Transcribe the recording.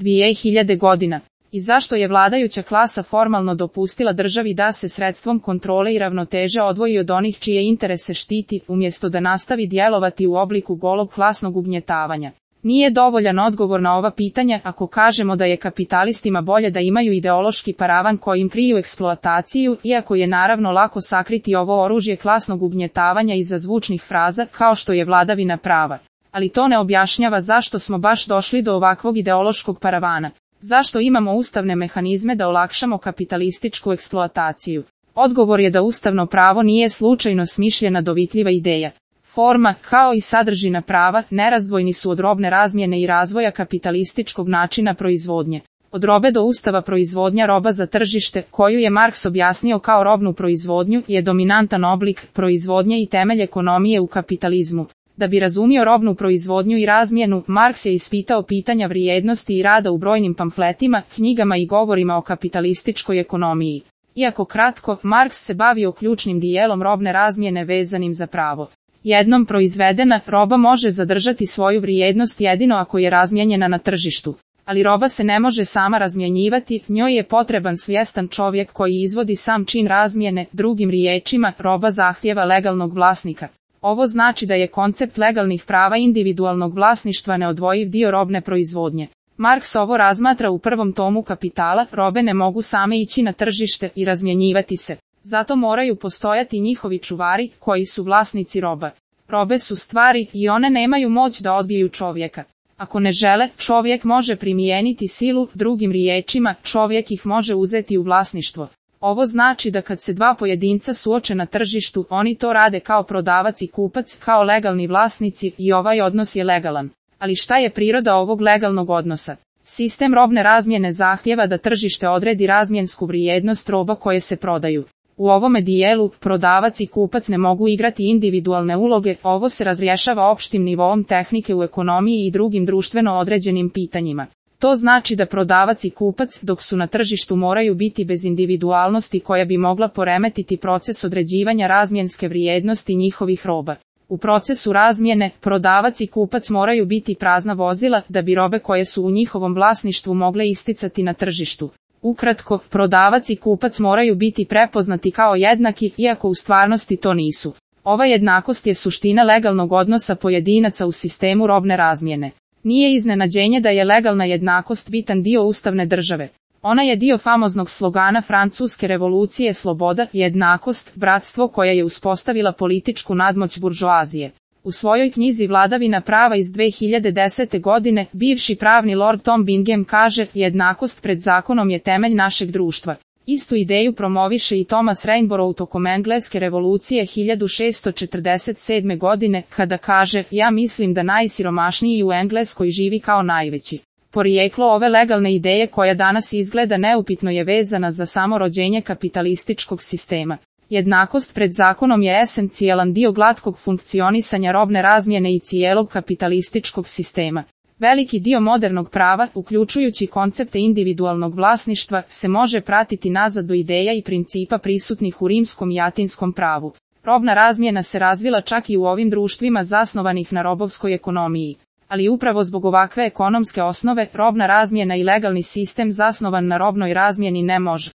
2000 godina. I zašto je vladajuća klasa formalno dopustila državi da se sredstvom kontrole i ravnoteže odvoji od onih čije interese štiti, umjesto da nastavi djelovati u obliku golog klasnog ugnjetavanja? Nije dovoljan odgovor na ova pitanja ako kažemo da je kapitalistima bolje da imaju ideološki paravan kojim kriju eksploataciju, iako je naravno lako sakriti ovo oružje klasnog ugnjetavanja iza zvučnih fraza kao što je vladavina prava. Ali to ne objašnjava zašto smo baš došli do ovakvog ideološkog paravana. Zašto imamo ustavne mehanizme da olakšamo kapitalističku eksploataciju? Odgovor je da ustavno pravo nije slučajno smišljena dovitljiva ideja. Forma, kao i sadržina prava, nerazdvojni su od robne razmjene i razvoja kapitalističkog načina proizvodnje. Od robe do ustava proizvodnja roba za tržište, koju je Marks objasnio kao robnu proizvodnju, je dominantan oblik proizvodnje i temelj ekonomije u kapitalizmu. Da bi razumio robnu proizvodnju i razmjenu, Marks je ispitao pitanja vrijednosti i rada u brojnim pamfletima, knjigama i govorima o kapitalističkoj ekonomiji. Iako kratko, Marks se bavio ključnim dijelom robne razmjene vezanim za pravo. Jednom proizvedena, roba može zadržati svoju vrijednost jedino ako je razmijenjena na tržištu. Ali roba se ne može sama razmjenjivati, njoj je potreban svjestan čovjek koji izvodi sam čin razmjene, drugim riječima, roba zahtijeva legalnog vlasnika. Ovo znači da je koncept legalnih prava individualnog vlasništva neodvojiv dio robne proizvodnje. Marks ovo razmatra u prvom tomu Kapitala, robe ne mogu same ići na tržište i razmjenjivati se. Zato moraju postojati njihovi čuvari, koji su vlasnici roba. Robe su stvari i one nemaju moć da odbiju čovjeka. Ako ne žele, čovjek može primijeniti silu, drugim riječima, čovjek ih može uzeti u vlasništvo. Ovo znači da kad se dva pojedinca suoče na tržištu, oni to rade kao prodavac i kupac, kao legalni vlasnici i ovaj odnos je legalan. Ali šta je priroda ovog legalnog odnosa? Sistem robne razmjene zahtijeva da tržište odredi razmjensku vrijednost roba koje se prodaju. U ovome dijelu, prodavac i kupac ne mogu igrati individualne uloge, ovo se razrješava opštim nivoom tehnike u ekonomiji i drugim društveno određenim pitanjima. To znači da prodavac i kupac, dok su na tržištu, moraju biti bez individualnosti koja bi mogla poremetiti proces određivanja razmjenske vrijednosti njihovih roba. U procesu razmjene, prodavac i kupac moraju biti prazna vozila da bi robe koje su u njihovom vlasništvu mogle isticati na tržištu. Ukratko, prodavac i kupac moraju biti prepoznati kao jednaki, iako u stvarnosti to nisu. Ova jednakost je suština legalnog odnosa pojedinaca u sistemu robne razmjene. Nije iznenađenje da je legalna jednakost bitan dio ustavne države. Ona je dio famoznog slogana Francuske revolucije sloboda, jednakost, bratstvo koja je uspostavila političku nadmoć buržoazije. U svojoj knjizi Vladavina prava iz 2010. godine, bivši pravni lord Tom Bingham kaže, jednakost pred zakonom je temelj našeg društva. Istu ideju promoviše i Thomas Rainbow tokom engleske revolucije 1647. godine, kada kaže, ja mislim da najsiromašniji u Engleskoj živi kao najveći. Porijeklo ove legalne ideje koja danas izgleda neupitno je vezana za samo rođenje kapitalističkog sistema. Jednakost pred zakonom je esencijalan dio glatkog funkcionisanja robne razmjene i cijelog kapitalističkog sistema. Veliki dio modernog prava, uključujući koncepte individualnog vlasništva, se može pratiti nazad do ideja i principa prisutnih u rimskom i atinskom pravu. Robna razmjena se razvila čak i u ovim društvima zasnovanih na robovskoj ekonomiji. Ali upravo zbog ovakve ekonomske osnove, robna razmjena i legalni sistem zasnovan na robnoj razmjeni ne može